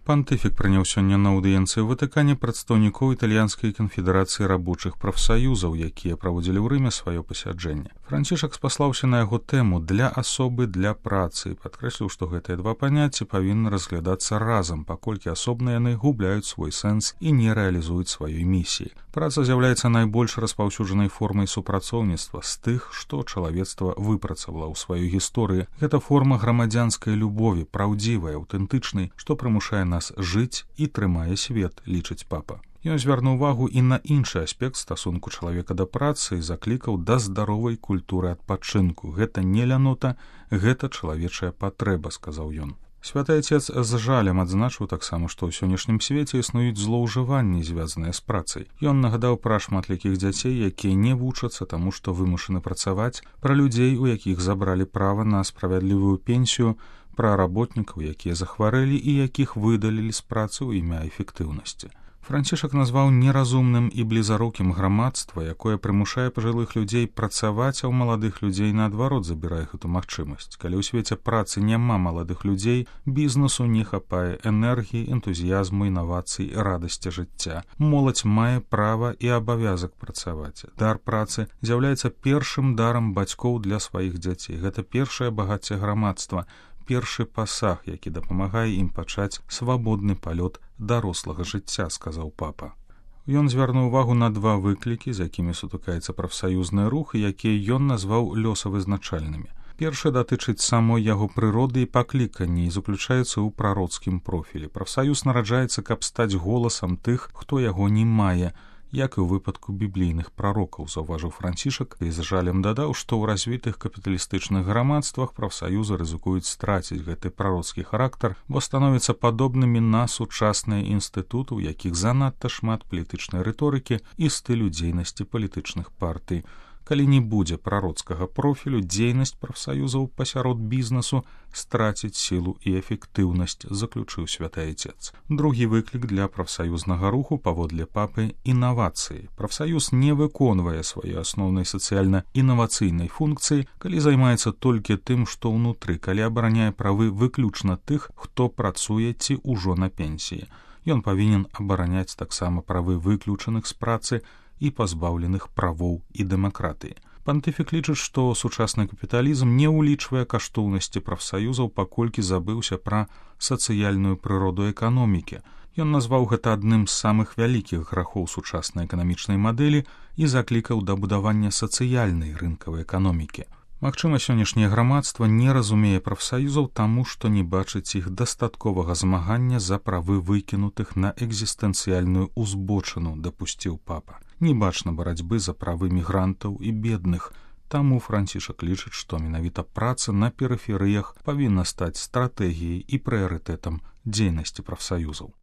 Пантыфік прыняў сёння на аўдыенцыі ў Ватыкане прадстаўнікоў італьянскай канфедэрацыі рабочых прафсаюзаў, якія праводзілі ў Рыме сваё пасяджэнне. Францішак спаслаўся на яго тэму «для асобы, для працы» і падкрэсліў, што гэтыя два паняцці павінны разглядацца разам, паколькі асобна яны губляюць свой сэнс і не рэалізуюць сваёй місіі. Праца з'яўляецца найбольш распаўсюджанай формай супрацоўніцтва з тых, што чалавецтва выпрацавала ў сваёй гісторыі. Гэта форма грамадзянскай любові, праўдзівай, аўтэнтычнай, што прымушае нас жыць і трымае свет, лічыць папа. Ён звярнуў увагу і на іншы аспект стасунку чалавека да працы і заклікаў да здаровай культуры адпачынку. Гэта не лянота, гэта чалавечая патрэба, сказаў ён. Святы Отец з жалем адзначыў таксама, што ў сённяшнім свеце існуюць злоўжыванні, звязаныя з працай. Ён нагадаў пра шматлікіх дзяцей, якія не вучацца таму, што вымушаны працаваць, пра людзей, у якіх забралі права на справядлівую пенсію, пра работнікаў, якія захварэлі і якіх выдалілі з працы ў імя эфектыўнасці. Францішак назваў неразумным і блізарукім грамадства, якое прымушае пажылых людзей працаваць, а ў маладых людзей наадварот забірае гэту магчымасць. Калі ў свеце працы няма маладых людзей, бізнесу не хапае энергіі, энтузіязму, інавацый, радасці жыцця. Моладзь мае права і абавязак працаваць. Дар працы з'яўляецца першым дарам бацькоў для сваіх дзяцей. Гэта першае багацце грамадства, першы пасаг, які дапамагае ім пачаць свабодны палёт дарослага жыцця, сказаў папа. Ён звярнуў увагу на два выклікі, з якімі сутыкаецца прафсаюзны рух, і якія ён назваў лёсавызначальнымі. Першы датычыць самой яго прыроды і паклікання і заключаецца ў прароцкім профілі. Прафсаюз нараджаецца, каб стаць голасам тых, хто яго не мае, як і ў выпадку біблійных прарокаў, заўважыў Францішак і з жалем дадаў, што ў развітых капіталістычных грамадствах прафсаюзы рызыкуюць страціць гэты прароцкі характар, бо становяцца падобнымі на сучасныя інстытуты, у якіх занадта шмат палітычнай рыторыкі і стылю дзейнасці палітычных партый. Калі не будзе прароцкага профілю, дзейнасць прафсаюзаў пасярод бізнесу страціць сілу і эфектыўнасць, заключыў Святы Отец. Другі выклік для прафсаюзнага руху паводле папы — інавацыі. Прафсаюз не выконвае сваёй асноўнай сацыяльна-інавацыйнай функцыі, калі займаецца толькі тым, што ўнутры, калі абараняе правы выключна тых, хто працуе ці ўжо на пенсіі. Ён павінен абараняць таксама правы выключаных з працы і пазбаўленых правоў і дэмакратыі. Пантыфік лічыць, што сучасны капіталізм не ўлічвае каштоўнасці прафсаюзаў, паколькі забыўся пра сацыяльную прыроду эканомікі. Ён назваў гэта адным з самых вялікіх грахоў сучаснай эканамічнай мадэлі і заклікаў да будавання сацыяльнай рынкавай эканомікі. Магчыма, сённяшняе грамадства не разумее прафсаюзаў таму, што не бачыць іх дастатковага змагання за правы выкінутых на экзістэнцыяльную узбочыну, дапусціў папа. Не бачна барацьбы за правы мігрантаў і бедных, таму Францішак лічыць, што менавіта праца на перыферыях павінна стаць стратэгіяй і прыярытэтам дзейнасці прафсаюзаў.